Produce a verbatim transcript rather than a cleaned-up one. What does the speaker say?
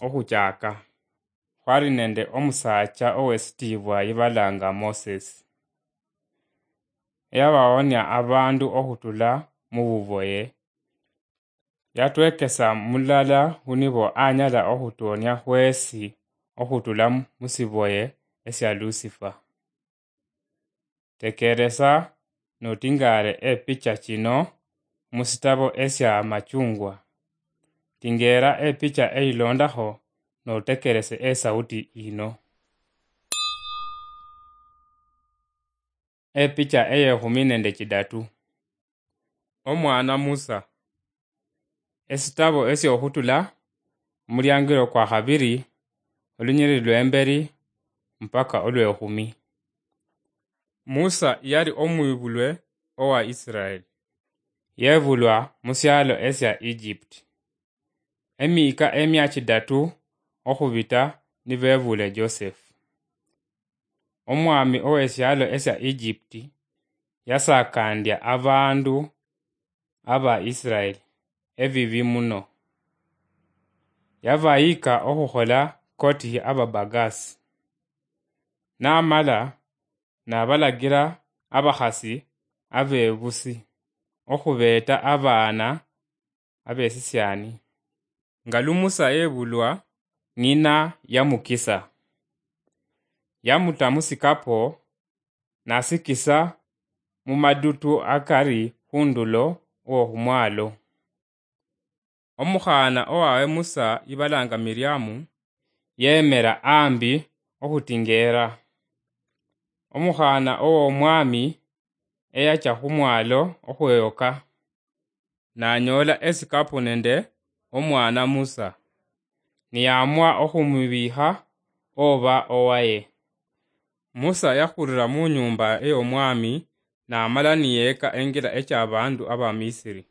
Okhuchaka, khwali nende omusaacha owesitiibwa yibalanga Moses. Yabawonia abandu okhutula mububoye. Yatwekesa mulala hunibo anyala ohutuonia hwesi ohutula musiboye esia Lusifa. Tekeresa notingaare epicha chino musitabo esia Amachungwa. Tingeera epicha eilondaho notekerese esauti ino. Epicha eyehumi nende chidatu. Omwana Musa. Esitabo esiohutula, omuliangiro kwa habiri, olunyiriri lwemberi mpaka olwehumi. Musa yali omwibulwe owa Israeli. Yebulwa musialo esia Egypt. Emiika emia chidatu ohubita nibebule Joseph. Omwami owesialo esia Egypt yasakandia abandu aba Israeli ebibi muno. Yabayika ohuhola koti ababagasi. Namala nabalagira abahasi abebusi ohubeeta abaana abesisiani. Nga lu Musa yebulwa, ng'ina yamukisa. Yamuta musikapo, nasikisa mumadutu akari hundulo wohumwalo. Omuhaana owawe Musa yibalanga Miriamu, yemera ambi ohutingeera. Omuhaana ow'Omwami eyacha humwalo ohweyoka, nanyoola esikapu nende omwana Musa, niyaamua ohumubiiha oba owaye. Musa yahulira munyuumba ey'Omwami, namala niyeeka engira echabaandu Abamisiri.